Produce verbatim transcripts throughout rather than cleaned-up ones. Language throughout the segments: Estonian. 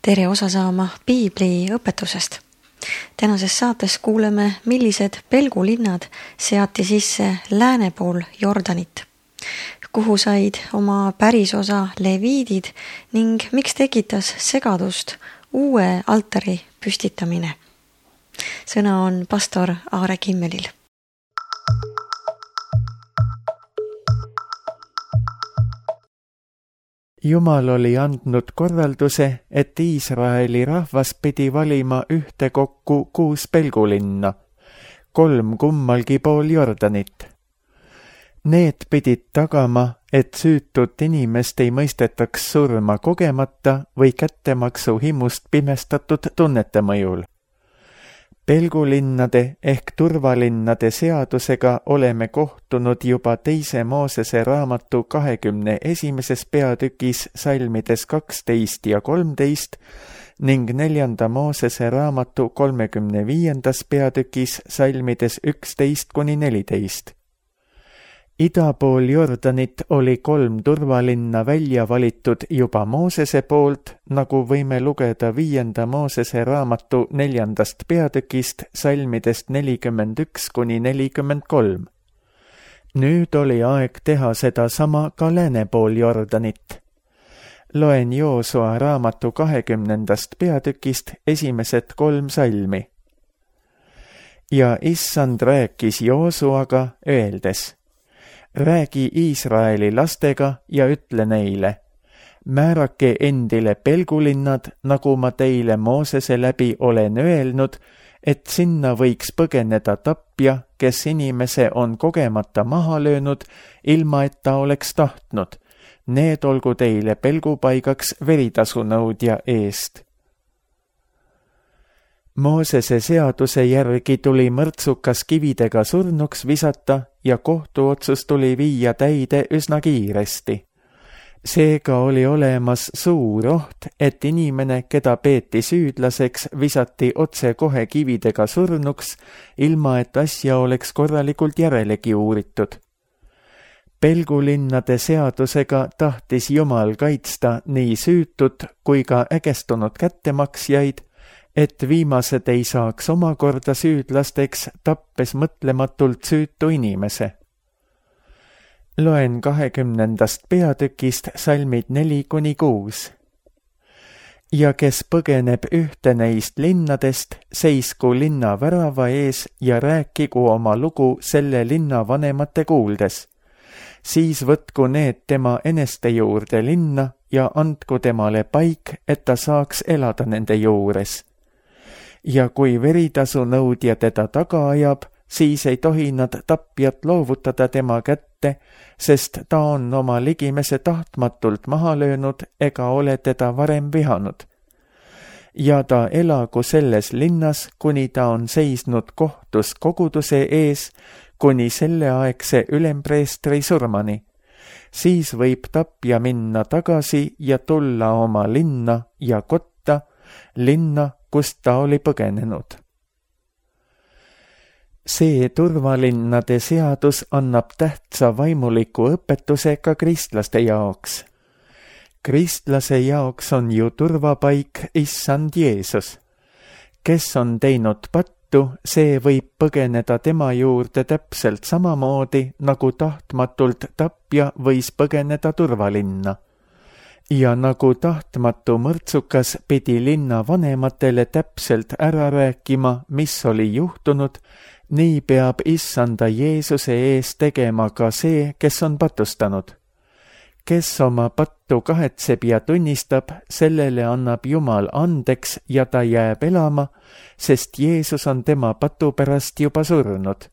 tere osa saama Piibli õpetusest. Tänases saates kuuleme, millised pelgulinnad seati sisse lääne pool Jordanit, kuhu said oma pärisosa leviidid ning miks tekitas segadust uue altari püstitamine. Sõna on pastor Aare Kimmelil. Jumal oli andnud korralduse, et Iisraeli rahvas pidi valima ühte kokku kuus pelgulinna, kolm kummalgi pool Jordanit. Need pidid tagama, et süütut inimest ei mõistetaks surma kogemata või kättemaksu himust pimestatud tunnete mõjul. Pelgulinnade ehk turvalinnade seadusega oleme kohtunud juba teise Moosese raamatu kahekümne esimeses peatükis salmides kaksteist ja kolmteist ning neljanda Moosese raamatu kolmekümne viiendas peatükis salmides üksteist kuni neliteist. Ida pool Jordanit oli kolm turvalinna välja valitud juba Moosese poolt, nagu võime lugeda viienda Moosese raamatu neljandast peatükist salmidest nelikümmend üks kuni nelikümmend kolm. Nüüd oli aeg teha seda sama ka lääne pool Jordanit. Loen Joosua raamatu kahekümnendast peatükist esimesed kolm salmi. Ja issand rääkis Joosuaga öeldes: räägi Iisraeli lastega ja ütle neile: määrake endile pelgulinnad, nagu ma teile Moosese läbi olen öelnud, et sinna võiks põgeneda tapja, kes inimese on kogemata maha löönud, ilma et ta oleks tahtnud. Need olgu teile pelgupaigaks veritasunõudja eest. Moosese seaduse järgi tuli mõrtsukas kividega surnuks visata ja kohtuotsus tuli viia täide üsna kiiresti. Seega oli olemas suur oht, et inimene, keda peeti süüdlaseks, visati otse kohe kividega surnuks, ilma et asja oleks korralikult järelegi uuritud. Pelgulinnade seadusega tahtis Jumal kaitsta nii süütut kui ka ägestunud kättemaksjaid, et viimased ei saaks omakorda süüdlasteks, tappes mõtlematult süütu inimese. Loen kahekümnendast peatükist salmid neli kuni kuus. Ja kes põgeneb ühte neist linnadest, seisku linna värava ees ja rääkigu oma lugu selle linna vanemate kuuldes. Siis võtku need tema eneste juurde linna ja andku temale paik, et ta saaks elada nende juures. Ja kui veritasu nõudja teda taga ajab, siis ei tohi nad tapjat loovutada tema kätte, sest ta on oma ligimese tahtmatult maha löönud ega ole teda varem vihanud. Ja ta elagu selles linnas, kuni ta on seisnud kohtus koguduse ees, kuni selleaegse ülempreestri surmani. Siis võib tapja minna tagasi ja tulla oma linna ja kotta, linna, kust ta oli põgenenud. See turvalinnade seadus annab tähtsa vaimuliku õpetuse ka kristlaste jaoks. Kristlase jaoks on ju turvapaik issand Jeesus. Kes on teinud pattu, see võib põgeneda tema juurde täpselt samamoodi, nagu tahtmatult tapja võis põgeneda turvalinna. Ja nagu tahtmatu mõrtsukas pidi linna vanematele täpselt ära rääkima, mis oli juhtunud, nii peab issanda Jeesuse ees tegema ka see, kes on patustanud. Kes oma pattu kahetseb ja tunnistab, sellele annab Jumal andeks ja ta jääb elama, sest Jeesus on tema patu pärast juba surnud.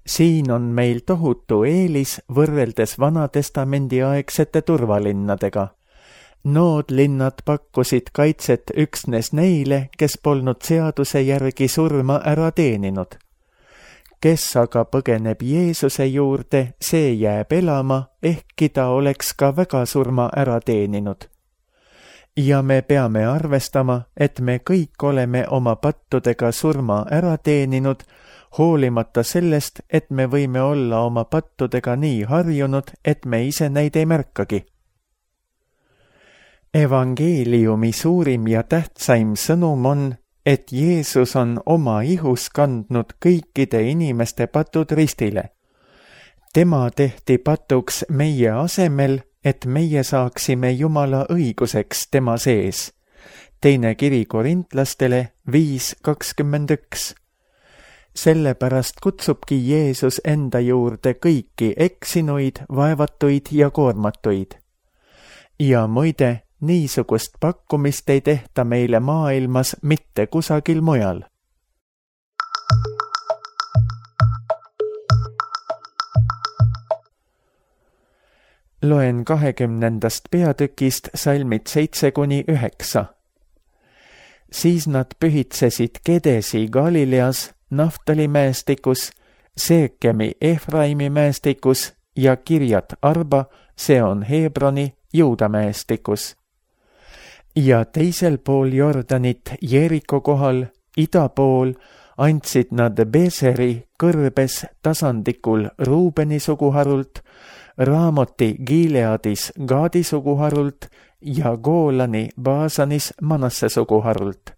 Siin on meil tohutu eelis võrreldes Vanatestamendi aegsete turvalinnadega. Nood linnad pakkusid kaitset üksnes neile, kes polnud seaduse järgi surma ära teeninud. Kes aga põgeneb Jeesuse juurde, see jääb elama, ehkki ta oleks ka väga surma ära teeninud. Ja me peame arvestama, et me kõik oleme oma pattudega surma ära teeninud, hoolimata sellest, et me võime olla oma pattudega nii harjunud, et me ise neid ei märkagi. Evangeeliumi suurim ja tähtsaim sõnum on, et Jeesus on oma ihus kandnud kõikide inimeste patud ristile. Tema tehti patuks meie asemel, et meie saaksime Jumala õiguseks tema sees. Teine kiri korintlastele viis kakskümmend üks. Sellepärast kutsubki Jeesus enda juurde kõiki eksinuid, vaevatuid ja koormatuid. Ja muide, niisugust pakkumist ei tehta meile maailmas mitte kusagil mujal. Loen kahekümnendast peatükist salmid seitse kuni üheksa. Siis nad pühitsesid Kedesi Galileas, Naftali mäestikus, Seekemi Efraimi mäestikus ja Kirjat Arba, see on Hebroni, Juuda mäestikus. Ja teisel pool Jordanit Jeeriko kohal, ida pool, andsid nad Beseri kõrbes tasandikul Ruubeni suguharult, Raamoti Gileadis Gaadi suguharult ja Goolani Baasanis Manasse suguharult.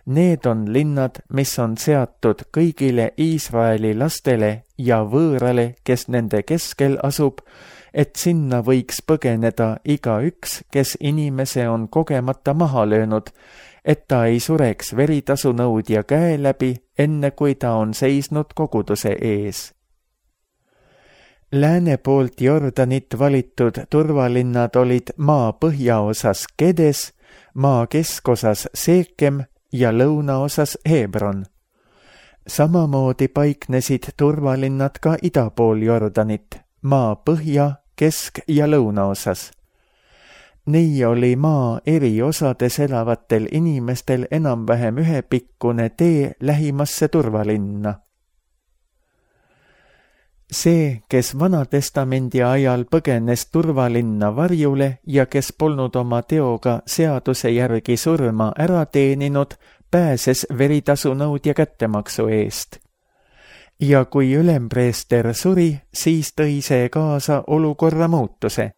Need on linnad, mis on seatud kõigile Iisraeli lastele ja võõrale, kes nende keskel asub, et sinna võiks põgeneda iga üks, kes inimese on kogemata maha löönud, et ta ei sureks veritasunõudja käe läbi, enne kui ta on seisnud koguduse ees. Lääne poolt Jordanit valitud turvalinnad olid maa põhjaosas Kedes, maa keskosas Seekem ja lõunaosas Hebron. Samamoodi paiknesid turvalinnad ka ida pool Jordanit, maa põhja, kesk- ja lõunaosas. Nii oli maa eri osades elavatel inimestel enam-vähem ühepikkune tee lähimasse turvalinna. See, kes Vanatestamendi ajal põgenes turvalinna varjule ja kes polnud oma teoga seaduse järgi surma ära teeninud, pääses veritasunõudja kättemaksu eest. Ja kui ülempreester suri, siis tõi see kaasa olukorra muutuse.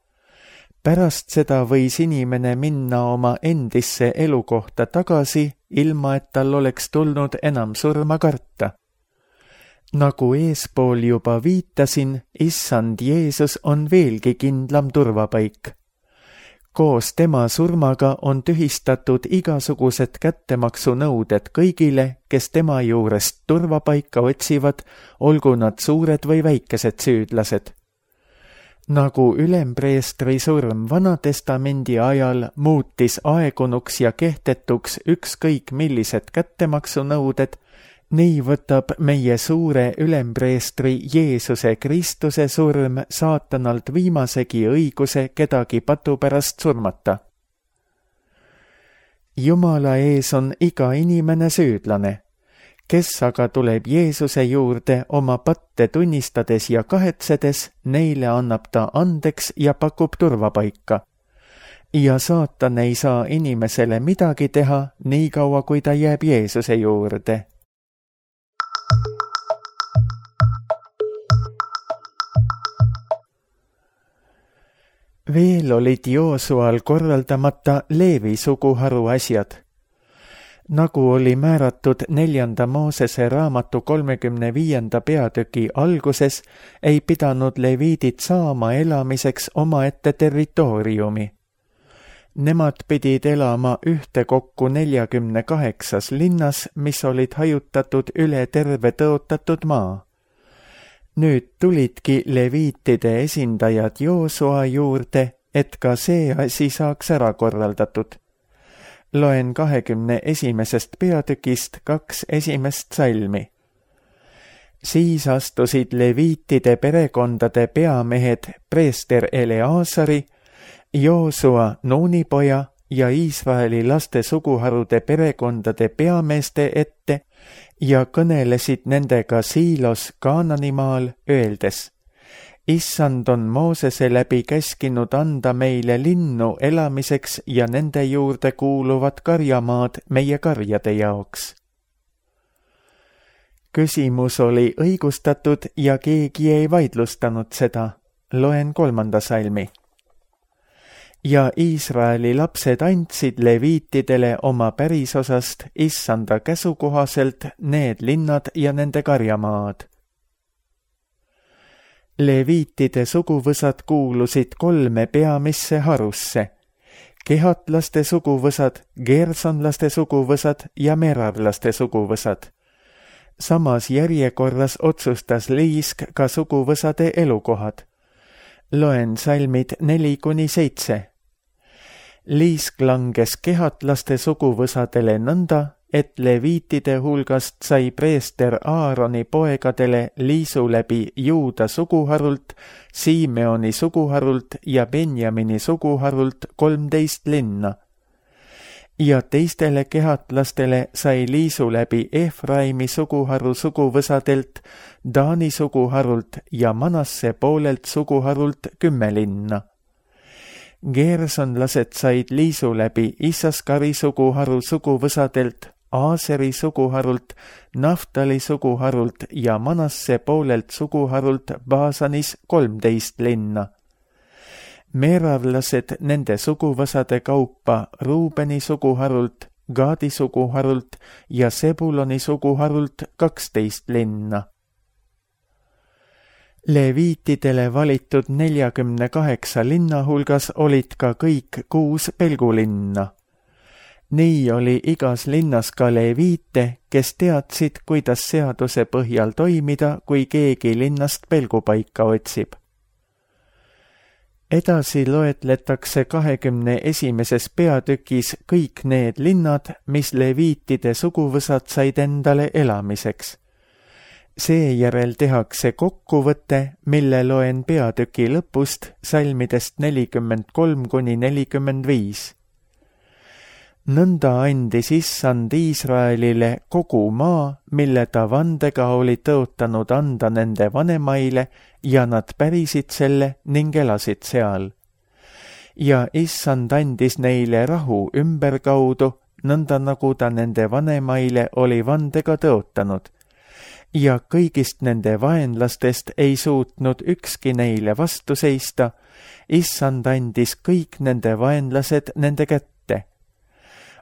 Pärast seda võis inimene minna oma endisse elukohta tagasi, ilma et tal oleks tulnud enam surma karta. Nagu eespool juba viitasin, issand Jeesus on veelgi kindlam turvapaik. Koos tema surmaga on tühistatud igasugused kättemaksunõuded kõigile, kes tema juurest turvapaika otsivad, olgu nad suured või väikesed süüdlased. Nagu ülempreestri surm Vanatestamendi ajal muutis aegunuks ja kehtetuks ükskõik millised kättemaksunõuded, nii võtab meie suure ülempreestri Jeesuse Kristuse surm saatanalt viimasegi õiguse kedagi patu pärast surmata. Jumala ees on iga inimene süüdlane, kes aga tuleb Jeesuse juurde oma patte tunnistades ja kahetsedes, neile annab ta andeks ja pakub turvapaika. Ja saatan ei saa inimesele midagi teha, nii kaua kui ta jääb Jeesuse juurde. Veel olid Joosual korraldamata Leevi suguharu asjad. Nagu oli määratud neljanda Moosese raamatu kolmekümne viienda peatüki alguses, ei pidanud leviidid saama elamiseks omaette territooriumi. Nemad pidid elama ühtekokku neljakümne kaheksas linnas, mis olid hajutatud üle terve tõotatud maa. Nüüd tulidki leviitide esindajad Joosua juurde, et ka see asi saaks ära korraldatud. Loen kahekümne esimesest peatükist kaks esimest salmi. Siis astusid leviitide perekondade peamehed preester Eleasari, Joosua Nuuni poja ja Iisraeli laste suguharude perekondade peameeste ette ja kõnelesid nendega Siilos Kaananimaal, öeldes: Issand on Moosese läbi käskinud anda meile linnu elamiseks ja nende juurde kuuluvad karjamaad meie karjade jaoks. Küsimus oli õigustatud ja keegi ei vaidlustanud seda. Loen kolmanda salmi. ja Iisraeli lapsed andsid leviitidele oma pärisosast issanda käsu kohaselt need linnad ja nende karjamaad. Leviitide suguvõsad kuulusid kolme peamisse harusse: kehatlaste suguvõsad, gersonlaste suguvõsad ja merarlaste suguvõsad. Samas järjekorras otsustas Liisk ka suguvõsade elukohad. Loen salmid neli kuni seitse. Liisk langes kehatlaste suguvõsadele nõnda, et leviitide hulgast sai preester Aaroni poegadele liisu läbi Juuda suguharult, Simeoni suguharult ja Benjamini suguharult kolmteist linna. Ja teistele kehatlastele sai liisu läbi Efraimi suguharu suguvõsadelt, Taani suguharult ja Manasse poolelt suguharult kümme linna. Gersonlased said liisu läbi Issaskari suguharu suguvõsadelt, Aaseri suguharult, Naftali suguharult ja Manasse poolelt suguharult Baasanis kolmteist linna. Merarlased nende suguvõsade kaupa Ruubeni suguharult, Gaadi suguharult ja Sebuloni suguharult kaksteist linna. Leviitidele valitud neljakümne kaheksa linna hulgas olid ka kõik kuus pelgulinna. Nii oli igas linnas ka leviite, kes teadsid, kuidas seaduse põhjal toimida, kui keegi linnast pelgupaika otsib. Edasi loetletakse kahekümne esimeses peatükis kõik need linnad, mis leviitide suguvõsad said endale elamiseks. Seejärel tehakse kokkuvõte, mille loen peatüki lõpust salmidest nelikümmend kolm kuni nelikümmend viis. Nõnda andis issand Iisraelile kogu maa, mille ta vandega oli tõotanud anda nende vanemaile, ja nad pärisid selle ning elasid seal. Ja issand andis neile rahu ümberkaudu, nõnda nagu ta nende vanemaile oli vandega tõotanud. Ja kõigist nende vaenlastest ei suutnud ükski neile vastu seista, issand andis kõik nende vaenlased nende kätte.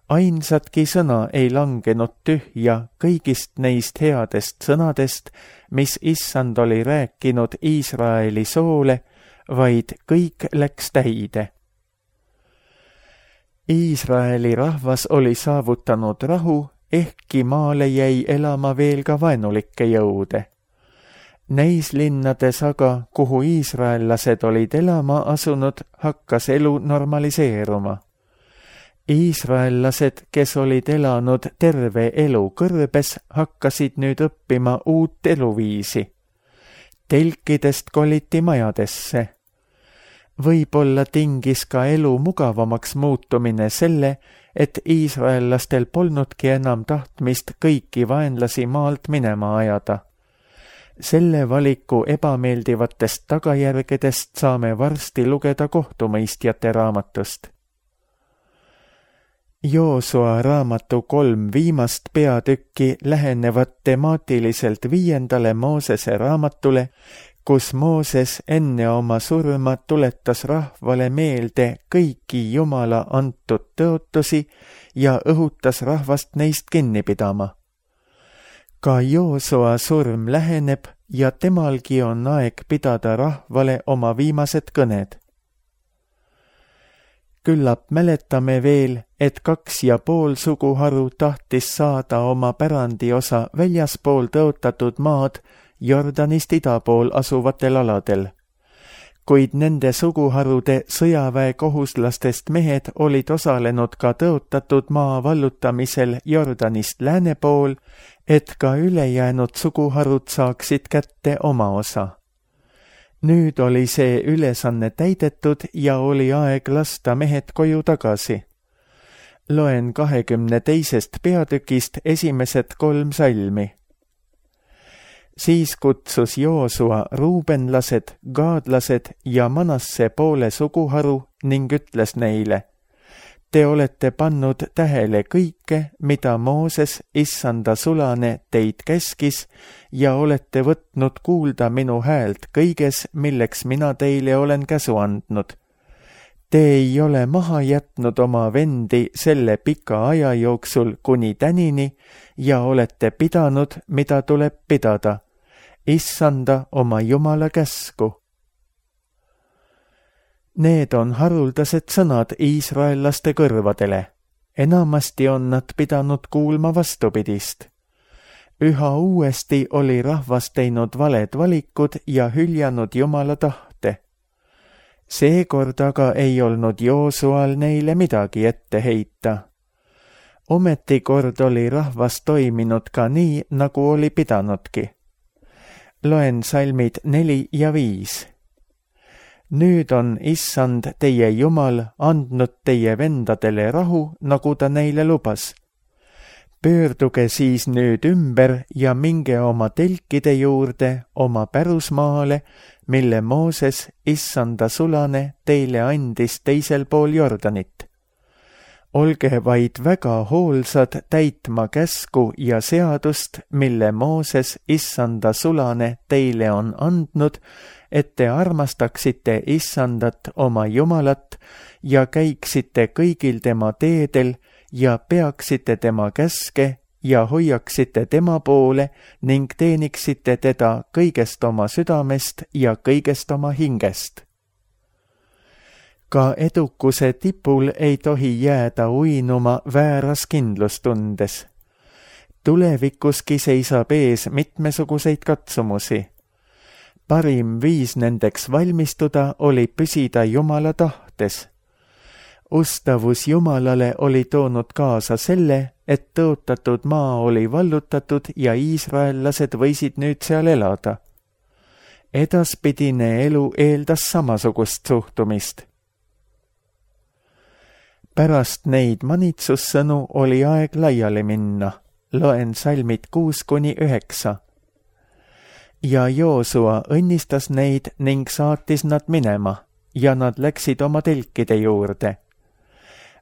Ainsatki sõna ei langenud tühja kõigist neist headest sõnadest, mis issand oli rääkinud Iisraeli soole, vaid kõik läks täide. Iisraeli rahvas oli saavutanud rahu, ehkki maale jäi elama veel ka vaenulikke jõude. Neis linnades aga, kuhu iisraellased olid elama asunud, hakkas elu normaliseeruma. Iisraellased, kes olid elanud terve elu kõrbes, hakkasid nüüd õppima uut eluviisi. Telkidest koliti majadesse. Võib-olla tingis ka elu mugavamaks muutumine selle, et iisraellastel polnudki enam tahtmist kõiki vaenlasi maalt minema ajada. Selle valiku ebameeldivatest tagajärgedest saame varsti lugeda kohtumõistjate raamatust. Joosua raamatu kolm viimast peatükki lähenevad temaatiliselt viiendale Moosese raamatule, kus Mooses enne oma surma tuletas rahvale meelde kõiki Jumala antud tõotusi ja õhutas rahvast neist kinni pidama. Ka Joosua surm läheneb ja temalgi on aeg pidada rahvale oma viimased kõned. Küllap mäletame veel, et kaks ja pool suguharu tahtis saada oma pärandiosa väljaspool tõotatud maad Jordanist ida pool asuvatel aladel. Kuid nende suguharude sõjaväekohuslastest mehed olid osalenud ka tõotatud maa vallutamisel Jordanist lääne pool, et ka ülejäänud suguharud saaksid kätte oma osa. Nüüd oli see ülesanne täidetud ja oli aeg lasta mehed koju tagasi. Loen kahekümne teisest peatükist esimesed kolm salmi. Siis kutsus Joosua ruubenlased, gaadlased ja Manasse poole suguharu ning ütles neile: Te olete pannud tähele kõike, mida Mooses, issanda sulane, teid käskis ja olete võtnud kuulda minu häält kõiges, milleks mina teile olen käsu andnud. Te ei ole maha jätnud oma vendi selle pika aja jooksul kuni tänini ja olete pidanud, mida tuleb pidada, issanda oma Jumala käsku. Need on haruldased sõnad iisraellaste kõrvadele. Enamasti on nad pidanud kuulma vastupidist. Üha uuesti oli rahvas teinud valed valikud ja hüljanud Jumala tahte. Seekord aga ei olnud Joosual neile midagi ette heita. Ometi kord oli rahvas toiminud ka nii, nagu oli pidanudki. Loen salmid neli ja viis. Nüüd on issand teie Jumal andnud teie vendadele rahu, nagu ta neile lubas. Pöörduge siis nüüd ümber ja minge oma telkide juurde, oma pärusmaale, mille Mooses, issanda sulane, teile andis teisel pool Jordanit. Olge vaid väga hoolsad täitma käsku ja seadust, mille Mooses, issanda sulane, teile on andnud, et te armastaksite issandat oma Jumalat ja käiksite kõigil tema teedel ja peaksite tema käske ja hoiaksite tema poole ning teeniksite teda kõigest oma südamest ja kõigest oma hingest. Ka edukuse tipul ei tohi jääda uinuma vääras kindlustundes. Tulevikuski seisab ees mitmesuguseid katsumusi. Parim viis nendeks valmistuda oli püsida Jumala tahtes. Ustavus Jumalale oli toonud kaasa selle, et tõotatud maa oli vallutatud ja iisraellased võisid nüüd seal elada. Edaspidine elu eeldas samasugust suhtumist. Pärast neid manitsussõnu oli aeg laiali minna. Loen salmid kuus kuni üheksa. Ja Joosua õnnistas neid ning saatis nad minema ja nad läksid oma telkide juurde.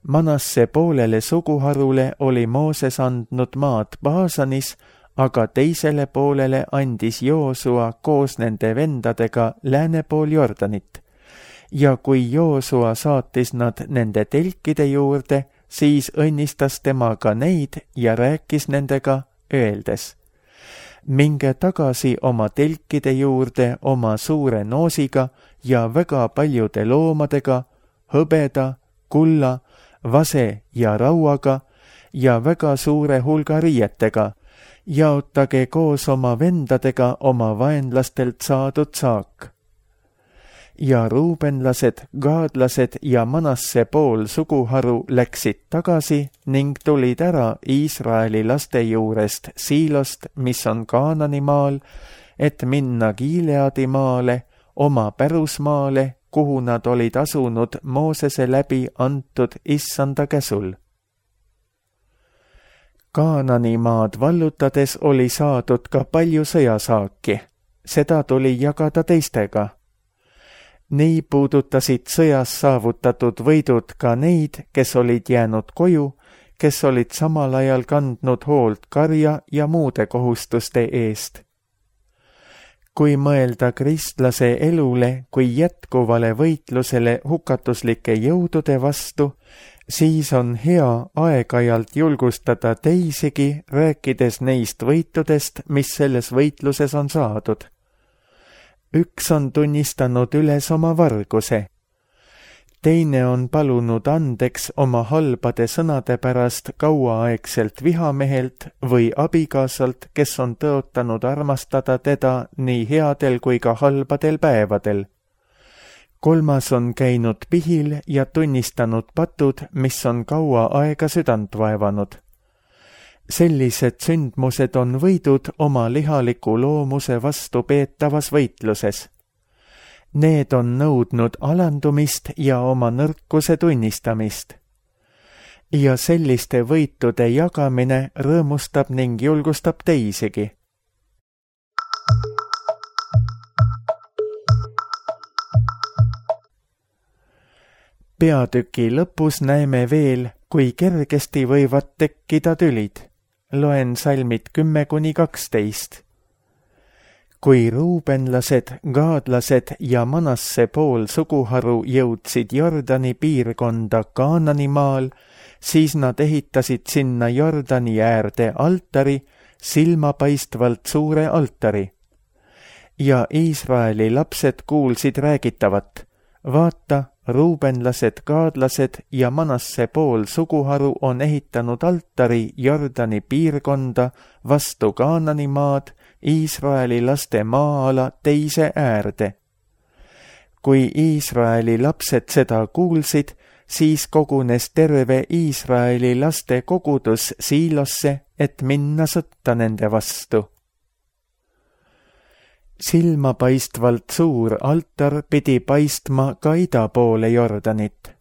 Manasse poolele suguharule oli Mooses andnud maad Baasanis, aga teisele poolele andis Joosua koos nende vendadega lääne pool Jordanit. Ja kui Joosua saatis nad nende telkide juurde, siis õnnistas tema ka neid ja rääkis nendega, öeldes: minge tagasi oma telkide juurde oma suure noosiga ja väga paljude loomadega, hõbeda, kulla, vase ja rauaga ja väga suure hulga riietega, jaotage koos oma vendadega oma vaenlastelt saadud saak. Ja ruubenlased, gaadlased ja Manasse pool suguharu läksid tagasi ning tulid ära Iisraeli laste juurest Siilost, mis on Kaanani maal, et minna Gileadi maale, oma pärusmaale, kuhu nad olid asunud Moosese läbi antud issanda käsul. Kaanani maad vallutades oli saadud ka palju sõjasaaki, seda tuli jagada teistega. Nii puudutasid sõjas saavutatud võidud ka neid, kes olid jäänud koju, kes olid samal ajal kandnud hoolt karja ja muude kohustuste eest. Kui mõelda kristlase elule kui jätkuvale võitlusele hukatuslike jõudude vastu, siis on hea aeg-ajalt julgustada teisigi, rääkides neist võitudest, mis selles võitluses on saadud. Üks on tunnistanud üles oma varguse. Teine on palunud andeks oma halbade sõnade pärast kauaaegselt vihamehelt või abikaasalt, kes on tõotanud armastada teda nii headel kui ka halbadel päevadel. Kolmas on käinud pihil ja tunnistanud patud, mis on kaua aega südant vaevanud. Sellised sündmused on võidud oma lihaliku loomuse vastu peetavas võitluses. Need on nõudnud alandumist ja oma nõrkuse tunnistamist. Ja selliste võitude jagamine rõõmustab ning julgustab teisigi. Peatüki lõpus näeme veel, kui kergesti võivad tekkida tülid. Loen salmid kümme kuni kaksteist. kui ruubenlased, gaadlased ja Manasse pool suguharu jõudsid Jordani piirkonda Kaananimaal, siis nad ehitasid sinna Jordani äärde altari, silmapaistvalt suure altari. Ja Iisraeli lapsed kuulsid räägitavat, vaata, ruubenlased, gaadlased ja Manasse pool suguharu on ehitanud altari Jordani piirkonda vastu Kaananimaad, Iisraeli laste maa-ala teise äärde. Kui Iisraeli lapsed seda kuulsid, siis kogunes terve Iisraeli laste kogudus Siilosse, et minna sõtta nende vastu. Silmapaistvalt suur altar pidi paistma ka ida poole Jordanit.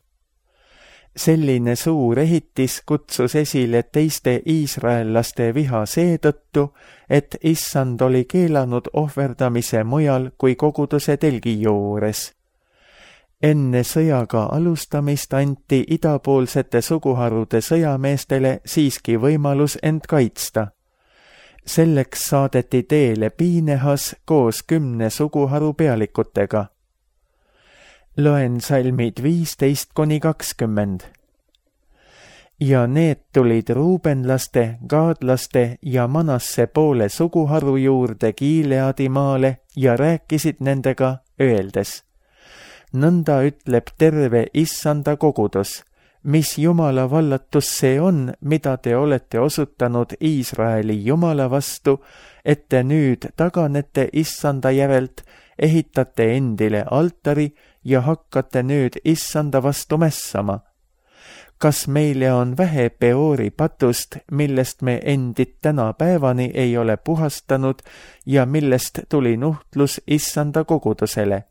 Selline suur ehitis kutsus esile teiste iisraellaste viha seetõttu, et issand oli keelanud ohverdamise mujal kui koguduse telgi juures. Enne sõjaga alustamist anti idapoolsete suguharude sõjameestele siiski võimalus end kaitsta. Selleks saadeti teele Piinehas koos kümne suguharu pealikutega. Loen salmid viisteist kuni kakskümmend. Ja need tulid ruubenlaste, gaadlaste ja Manasse poole suguharu juurde Gileadi maale ja rääkisid nendega, öeldes: nõnda ütleb terve issanda kogudus, mis Jumala vallatus see on, mida te olete osutanud Iisraeli Jumala vastu, et te nüüd taganete issanda järelt, ehitate endile altari ja hakkate nüüd issanda vastu mässama. Kas meile on vähe Peori patust, millest me endid tänapäevani ei ole puhastanud ja millest tuli nuhtlus issanda kogudusele?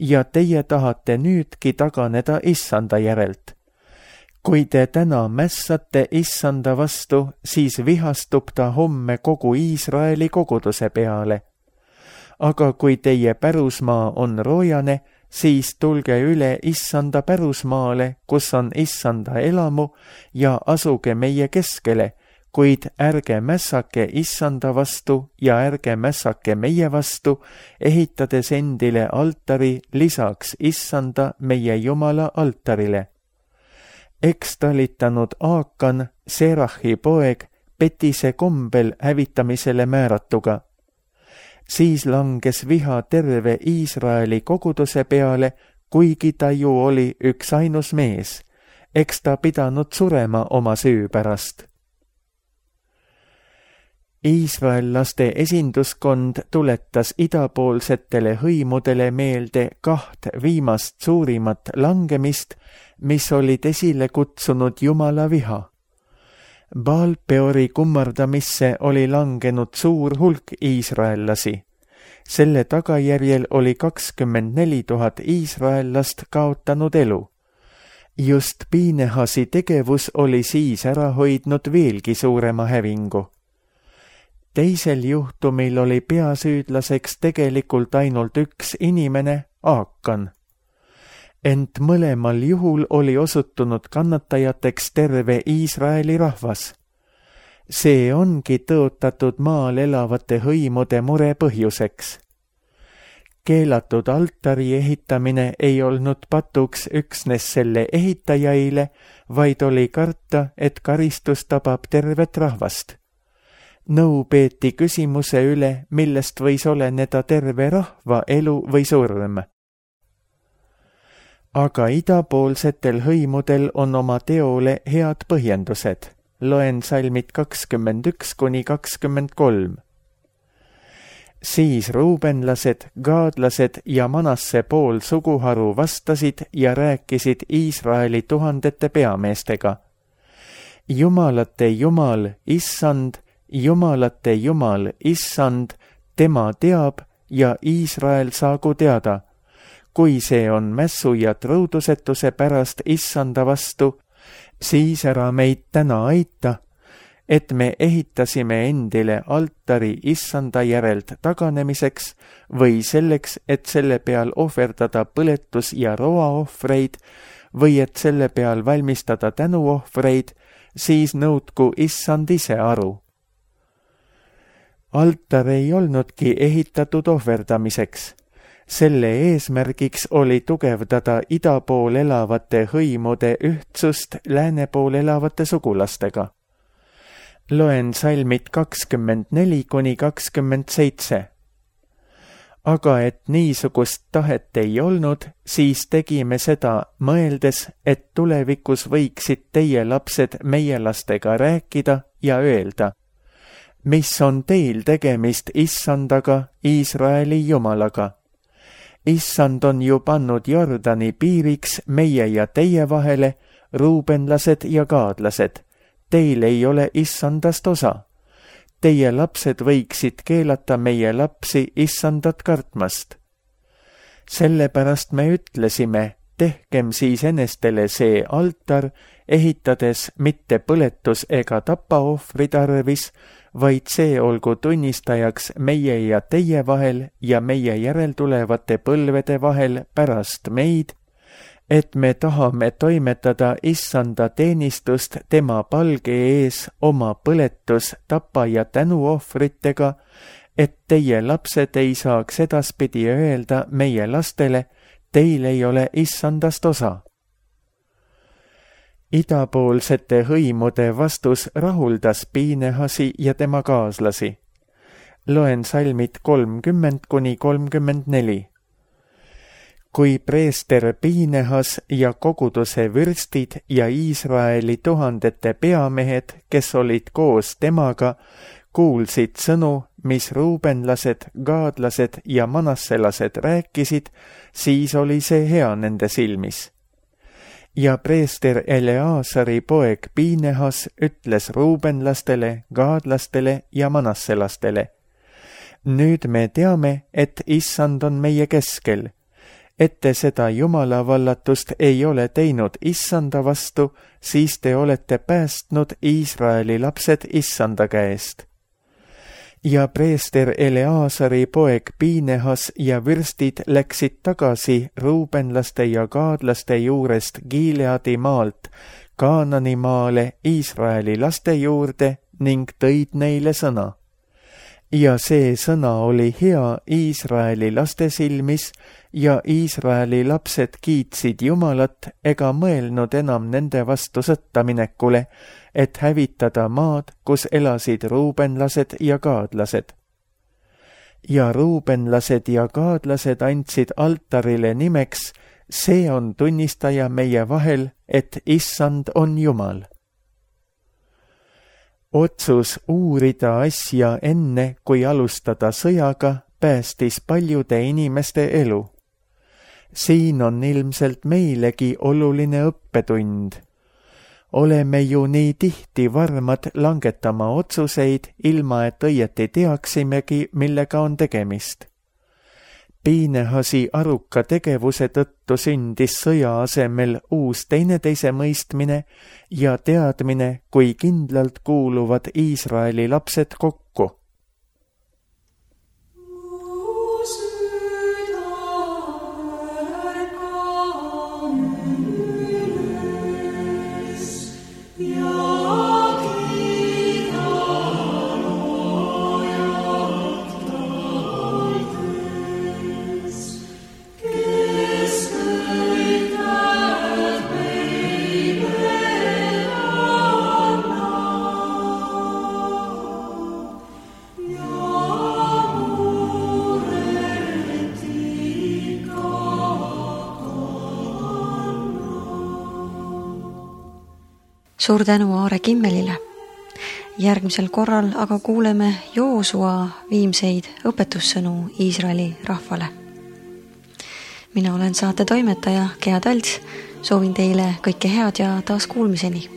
Ja teie tahate nüüdki taganeda issanda järelt. Kui te täna mässate issanda vastu, siis vihastub ta homme kogu Iisraeli koguduse peale. Aga kui teie pärusmaa on roojane, siis tulge üle issanda pärusmaale, kus on issanda elamu, ja asuge meie keskele, kuid ärge mässake issanda vastu ja ärge mässake meie vastu, ehitades endile altari lisaks issanda meie Jumala altarile. Eks talitanud Aakan, Serahi poeg, petise kombel hävitamisele määratuga. Siis langes viha terve Iisraeli koguduse peale, kuigi ta ju oli üks ainus mees. Eks ta pidanud surema oma süü pärast. Iisraellaste esinduskond tuletas idapoolsetele hõimudele meelde kaht viimast suurimat langemist, mis olid esile kutsunud Jumala viha. Baal-Peori kummardamisse oli langenud suur hulk iisraellasi. Selle tagajärjel oli kakskümmend neli tuhat iisraellast kaotanud elu. Just Piinehasi tegevus oli siis ära hoidnud veelgi suurema hävingu. Teisel juhtumil oli peasüüdlaseks tegelikult ainult üks inimene, Aakan. Ent mõlemal juhul oli osutunud kannatajateks terve Iisraeli rahvas. See ongi tõotatud maal elavate hõimude mure põhjuseks. Keelatud altari ehitamine ei olnud patuks üksnes selle ehitajaile, vaid oli karta, et karistus tabab tervet rahvast. Nõu peeti küsimuse üle, millest võis oleneda terve rahva elu või surm. Aga idapoolsetel hõimudel on oma teole head põhjendused. Loen salmid kakskümmend üks kuni kakskümmend kolm. Siis ruubenlased, gaadlased ja Manasse pool suguharu vastasid ja rääkisid Iisraeli tuhandete peameestega. Jumalate Jumal, issand, Jumalate Jumal, issand, tema teab ja Iisrael saagu teada. Kui see on mässu ja trõudusetuse pärast issanda vastu, siis ära meid täna aita, et me ehitasime endile altari issanda järelt taganemiseks või selleks, et selle peal ohverdada põletus- ja roaohvreid või et selle peal valmistada tänuohvreid, siis nõudku issand ise aru. altar ei olnudki ehitatud ohverdamiseks. Selle eesmärgiks oli tugevdada ida pool elavate hõimude ühtsust lääne pool elavate sugulastega. Loen salmid kakskümmend neli kuni kakskümmend seitse. Aga et niisugust tahet ei olnud, siis tegime seda, mõeldes, et tulevikus võiksid teie lapsed meie lastega rääkida ja öelda, mis on teil tegemist Issandaga, Iisraeli Jumalaga. Issand on ju pannud Jordani piiriks meie ja teie vahele, ruubenlased ja gaadlased. Teil ei ole Issandast osa. Teie lapsed võiksid keelata meie lapsi Issandat kartmast. Sellepärast me ütlesime, tehkem siis enestele see altar, ehitades mitte põletus ega tapaohvri tarvis, vaid see olgu tunnistajaks meie ja teie vahel ja meie järeltulevate põlvede vahel pärast meid, et me tahame toimetada Issanda teenistust tema palge ees oma põletus, tapa ja tänuohvritega, et teie lapsed ei saaks edaspidi öelda meie lastele, teil ei ole Issandast osa. Idapoolsete hõimude vastus rahuldas Piinehasi ja tema kaaslasi. Loen salmid kolmkümmend kuni kolmkümmend neli. Kui preester Piinehas ja koguduse vürstid ja Iisraeli tuhandete peamehed, kes olid koos temaga, kuulsid sõnu, mis ruubenlased, gaadlased ja manasselased rääkisid, siis oli see hea nende silmis. Ja preester Eleasari poeg Piinehas ütles ruubenlastele, gaadlastele ja manasselastele, nüüd me teame, et Issand on meie keskel, et te seda Jumala vallatust ei ole teinud Issanda vastu, siis te olete päästnud Iisraeli lapsed Issanda käest. Ja preester Eleasari poeg Piinehas ja vürstid läksid tagasi ruubenlaste ja gaadlaste juurest Gileadi maalt Kaanani maale Iisraeli laste juurde ning tõid neile sõna. Ja see sõna oli hea Iisraeli laste silmis ja Iisraeli lapsed kiitsid Jumalat ega mõelnud enam nende vastu sõtta minekule, et hävitada maad, kus elasid ruubenlased ja gaadlased. Ja ruubenlased ja gaadlased andsid altarile nimeks, see on tunnistaja meie vahel, et Issand on Jumal. Otsus uurida asja enne, kui alustada sõjaga, päästis paljude inimeste elu. Siin on ilmselt meilegi oluline õppetund. Oleme ju nii tihti varmad langetama otsuseid, ilma et õieti teaksimegi, millega on tegemist. Piinehasi aruka tegevuse tõttu sündis sõja asemel uus teineteise mõistmine ja teadmine, kui kindlalt kuuluvad Iisraeli lapsed kokku. Suur tänu Aare Kimmelile. Järgmisel korral aga kuuleme Joosua viimseid õpetussõnu Iisraeli rahvale. Mina olen saate toimetaja Gea Talts, soovin teile kõike head ja taas kuulmiseni.